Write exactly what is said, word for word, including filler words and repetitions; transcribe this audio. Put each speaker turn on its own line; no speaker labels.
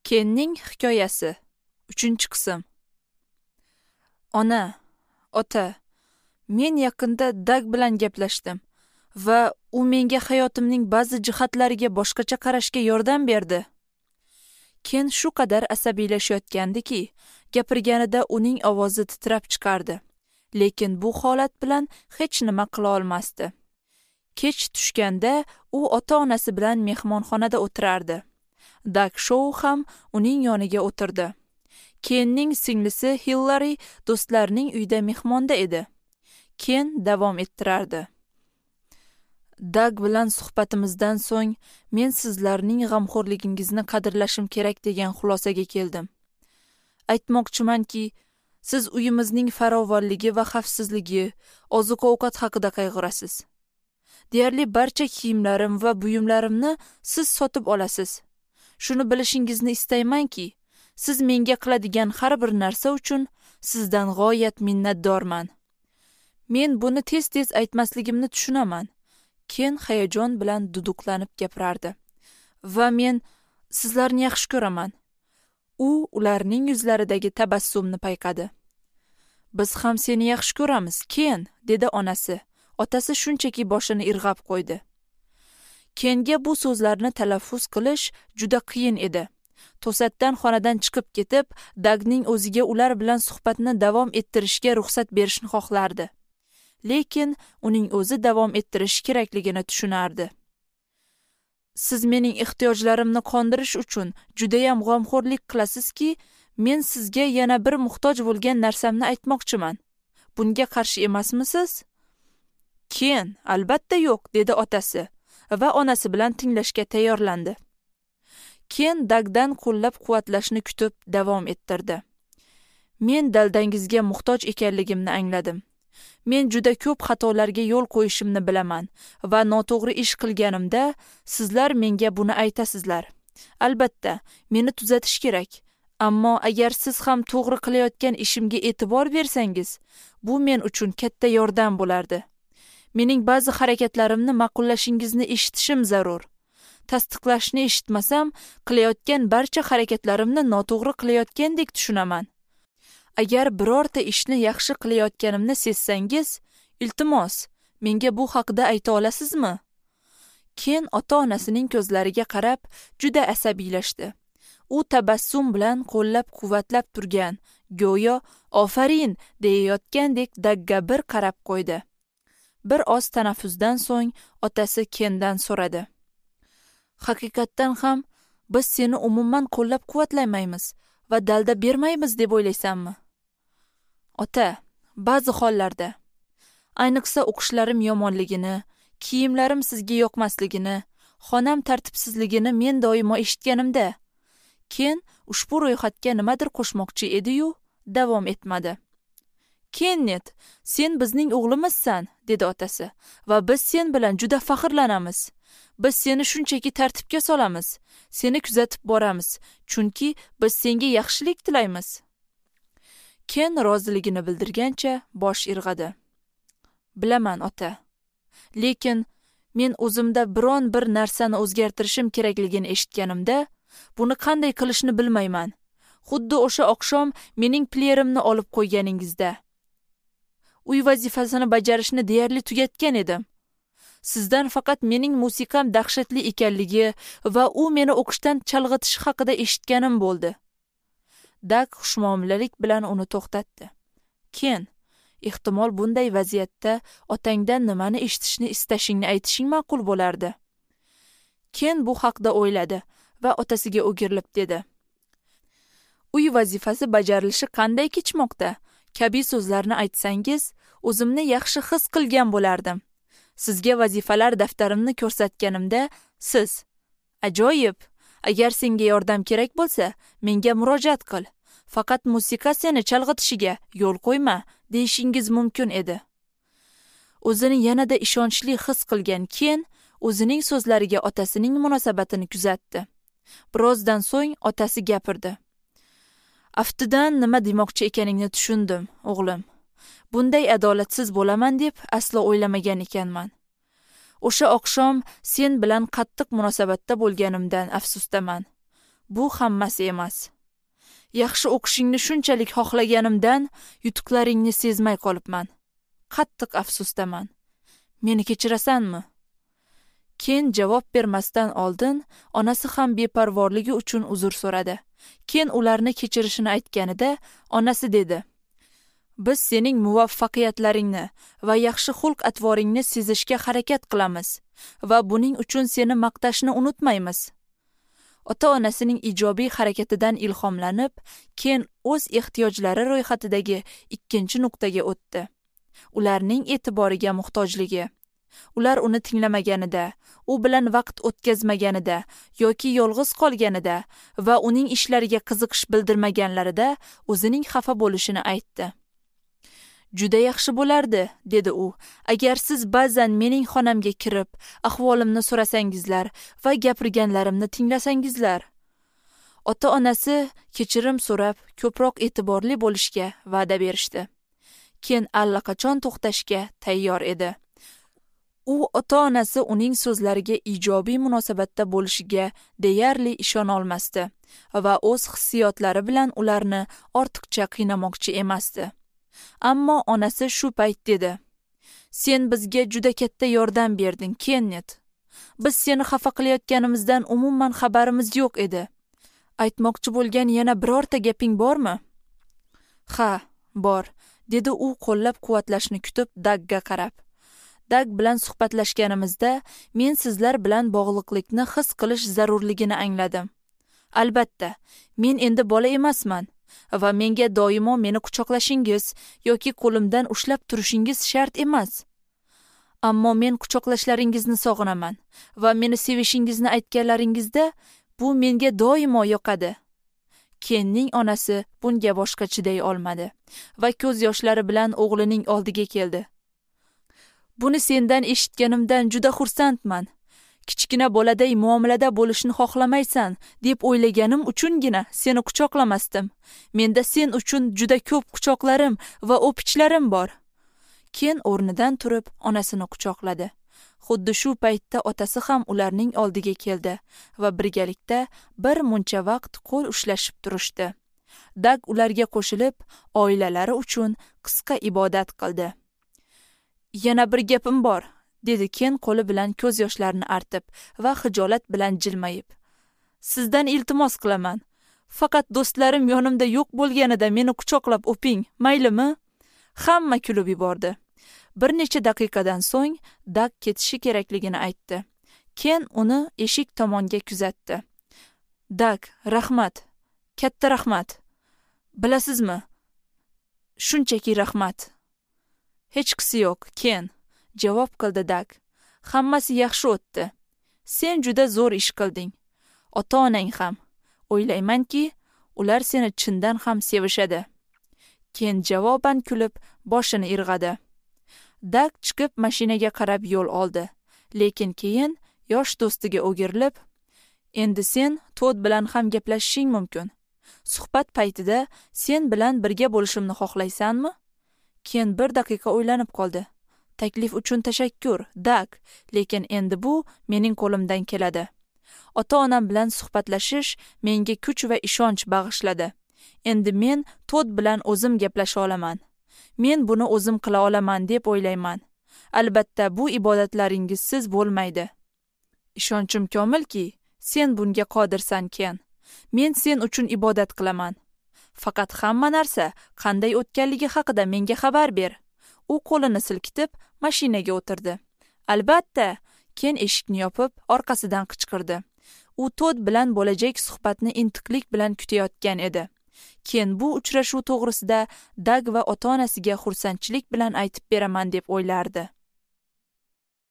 Kenning hikoyasi, uchinchi qism. Ona, ota, men yaqinda Dag bilan gaplashdim va u menga hayotimning ba'zi jihatlariga boshqacha qarashga yordam berdi. Ken shu qadar asabiylashayotgandiki, gapirganida uning ovozi titrab chiqardi. Lekin bu holat bilan hech nima qila olmasdi. Kech tushganda u ota-onasi bilan mehmonxonada o'tirardi. Dag Shou ham uning yoniga o'tirdi. Kenning singlisi Hillari do'stlarining uyida mehmonda edi. Ken davom ettirardi. Dag bilan suhbatimizdan so'ng men sizlarning g'amxo'rligingizni qadrlashim kerak degan xulosaga keldim. Aytmoqchimanki, siz uyimizning farovonligi va xavfsizligi, oziq-ovqat haqida qayg'urasiz. Deyarli barcha kiyimlarim va buyumlarimni siz sotib olasiz. Shuni bilishingizni istaymanki, siz menga qiladigan har bir narsa uchun sizdan g'oyat minnatdorman. Men buni tez-tez aytmasligimni tushunaman. Ken hayajon bilan duduqlanib gapirardi. Va men sizlarni yaxshi ko'raman. U ularning yuzlaridagi tabassumni payqadi. Biz ham seni yaxshi ko'ramiz, Ken, dedi onasi. Otasi shunchaki boshini irg'ab qo'ydi. Kenga bu so'zlarni talaffuz qilish juda qiyin edi. To'satdan xonadan chiqib ketib, Dagning o'ziga ular bilan suhbatni davom ettirishga ruxsat berishni xohlardi. Lekin uning o'zi davom ettirish kerakligini tushunardi. Siz mening ehtiyojlarimni qondirish uchun judayam g'amxo'rlik qilasizki, men sizga yana bir muhtoj bo'lgan narsamni aytmoqchiman. Bunga qarshi emasmisiz? Ken, albatta yo'q, dedi otasi va onasi bilan tinglashga tayyorlandi. Ken Dagdan qo'llab-quvvatlashni kutib davom ettirdi. Men daldangizga muhtoj ekanligimni angladim. Men juda ko'p xatolarga yo'l qo'yishimni bilaman va noto'g'ri ish qilganimda sizlar menga buni aytasizlar. Albatta, meni tuzatish kerak. Ammo agar siz ham to'g'ri qilayotgan ishimga e'tibor bersangiz, bu men uchun katta yordam bo'lardi. Mening ba'zi harakatlarimni ma'qullashingizni eshitishim zarur. Tasdiqlashni eshitmasam, qilayotgan barcha harakatlarimni noto'g'ri qilayotgandek tushunaman. Agar birorta ishni yaxshi qilayotganimni sezsangiz, iltimos, menga bu haqida ayta olasizmi? Ken ota-onasining ko'zlariga qarab juda asabiylashdi. U tabassum bilan qo'llab-quvvatlab turgan, go'yo ofarin deyayotgandek Dagga bir qarab qo'ydi. Bir oz tanaffusdan so'ng otasi Kendan so'radi. Haqiqatdan ham biz seni umuman qo'llab-quvvatlamaymiz va dalda bermaymiz deb o'ylaysanmi? Ota, ba'zi hollarda, ayniqsa o'qishlarim yomonligini, kiyimlarim sizga yoqmasligini, xonam tartibsizligini men doimo eshitganimda. Ken ushbu ro'yxatga nimadir qo'shmoqchi edi-yu, davom etmadi. Kennet, sen bizning o'g'limizsan, dedi otasi, va biz sen bilan juda faxrlanamiz. Biz seni shunchaki tartibga solamiz, seni kuzatib boramiz, chunki biz senga yaxshilik tilaymiz. Ken roziligini bildirgancha bosh irg'adi. Bilaman, ota. Lekin men o'zimda biron bir narsani o'zgartirishim kerakligini eshitganimda, buni qanday qilishni bilmayman. Xuddi o'sha oqshom mening pleyerimni olib qo'yganingizda. Uy vazifasini bajarishni deyarli tugatgan edim. Sizdan faqat mening musiqam dahshatli ekanligi va u meni o'qishdan chalg'itishi haqida eshitganim bo'ldi. Dag xushmuomalalik bilan uni to'xtatdi. Ken, ehtimol bunday vaziyatda otangdan nimani eshitishni istashingni aytishing ma'qul bo'lardi. Ken bu haqda o'yladi va otasiga o'girilib dedi. Uy vazifasi bajarilishi qanday kechmoqda? Kabi so'zlarni aytsangiz, o'zimni yaxshi his qilgan bo'lardim. Sizga vazifalar daftarimni ko'rsatganimda siz, ajoyib, agar senga yordam kerak bo'lsa, menga murojaat qil. Faqat musiqa seni chalg'itishiga yo'l qo'yma, deyishingiz mumkin edi. O'zini yanada ishonchli his qilgan Ken o'zining so'zlariga otasining munosabatini kuzatdi. Birozdan so'ng otasi gapirdi. Aftidan nima demoqchi ekaningni tushundim, o'g'lim. Bunday adolatsiz bo'laman deb aslo o'ylamagan ekanman. O'sha oqshom sen bilan qattiq munosabatda bo'lganimdan afsusdaman. Bu hammasi emas. Yaxshi o'qishingni shunchalik xohlaganimdan yutuqlaringni sezmay qolibman. Qattiq afsusdaman. Meni kechirasanmi? Ken javob bermasdan oldin onasi ham beparvorligi uchun uzr so'radi. Ken ularni kechirishini aytganida onasi dedi: "Biz sening muvaffaqiyatlaringni va yaxshi xulq-atvoringni sezishga harakat qilamiz va buning uchun seni maqtashni unutmaymiz." Ota-onasining ijobiy harakatidan ilhomlanib, Ken o'z ehtiyojlari ro'yxatidagi ikkinchi nuqtaga o'tdi. Ularning e'tiboriga muhtojligi. Ular uni tinglamaganida, u bilan vaqt o'tkazmaganida yoki yolg'iz qolganida va uning ishlariga qiziqish bildirmaganlarida o'zining xafa bo'lishini aytdi. "Juda yaxshi bo'lardi", dedi u, "agar siz ba'zan mening xonamga kirib, ahvolimni so'rasangizlar va gapirganlarimni tinglasangizlar." Ota-onasi kechirim so'rab, ko'proq e'tiborli bo'lishga va'da berishdi. Ken allaqachon to'xtashga tayyor edi. U ota-onasi uning so'zlariga ijobiy munosabatda bo'lishiga deyarli ishona olmasdi va o'z hissiyotlari bilan ularni ortiqcha qiynamoqchi emasdi. Ammo onasi shu payt dedi: "Sen bizga juda katta yordam berding, Kennet. Biz seni xafa qilayotganimizdan umuman xabarimiz yo'q edi. Aytmoqchi bo'lgan yana birorta gaping bormi?" "Ha, bor", dedi u qo'llab-quvvatlashni kutib Dagga qarab. "Dag bilan suhbatlashganimizda men sizlar bilan bog'liqlikni his qilish zarurligini angladim. Albatta, men endi bola emasman va menga doimo meni quchoqlashingiz yoki qo'limdan ushlab turishingiz shart emas. Ammo men quchoqlashlaringizni sog'inaman va meni sevishingizni aytganlaringizda bu menga doimo yoqadi." Kenning onasi bunga boshqa chiday olmadi va ko'z yoshlari bilan o'g'lining oldiga keldi. "Buni sendan eshitganimdan juda xursandman. Kichkina boladay muomalada bo'lishni xohlamaysan deb o'ylaganim uchungina seni quchoqlamasdim. Menda sen uchun juda ko'p quchoqlarim va o'pichlarim bor." Ken o'rnidan turib onasini quchoqladi. Xuddi shu paytda otasi ham ularning oldiga keldi va birgalikda bir muncha vaqt qo'l ushlashib turishdi. Dag ularga qo'shilib, oilalari uchun qisqa ibodat qildi. "Yana bir gapim bor", dedi Ken qo'li bilan ko'z yoshlarini artib va xijolat bilan jilmayib. "Sizdan iltimos qilaman. Faqat do'stlarim yonimda yo'q bo'lganida meni quchoqlab o'ping, maylimi?" Hamma kulib yubordi. Bir necha daqiqadan so'ng Dag ketishi kerakligini aytdi. Ken uni eshik tomonga kuzatdi. "Dag, rahmat. Katta rahmat. Bilasizmi? Shunchaki rahmat." "Hechqisi yo'q, Ken", javob qildi Dag. "Hammasi yaxshi o'tdi. Sen juda zo'r ish qilding. Ota-onang ham. O'ylaymanki, ular seni chindan ham sevishadi." Ken javoban kulib, boshini irg'adi. Dag chiqib mashinaga qarab yo'l oldi, lekin keyin yosh do'stiga o'girilib, "Endi sen Todd bilan ham gaplashishing mumkin. Suhbat paytida sen bilan birga bo'lishimni xohlaysanmi?" Ken bir daqiqa o'ylanib qoldi. "Taklif uchun tashakkur, Dag, lekin endi bu mening qo'limdan keladi. Ota-onam bilan suhbatlashish menga kuch va ishonch bag'ishladi. Endi men Todd bilan o'zim gaplasha olaman. Men buni o'zim qila olaman deb o'ylayman. Albatta, bu ibodatlaringizsiz bo'lmaydi. Ishonchim komilki, sen bunga qodirsan, Ken. Men sen uchun ibodat qilaman. Faqat hamma narsa qanday o'tganligi haqida menga xabar ber." U qo'lini silkitib mashinaga o'tirdi. "Albatta", Ken eshikni yopib, orqasidan qichqirdi. U Todd bilan bo'lajak suhbatni intiqlik bilan kutayotgan edi. Ken bu uchrashuv to'g'risida Dag va ota-onasiga xursandchilik bilan aytib beraman deb o'ylardi.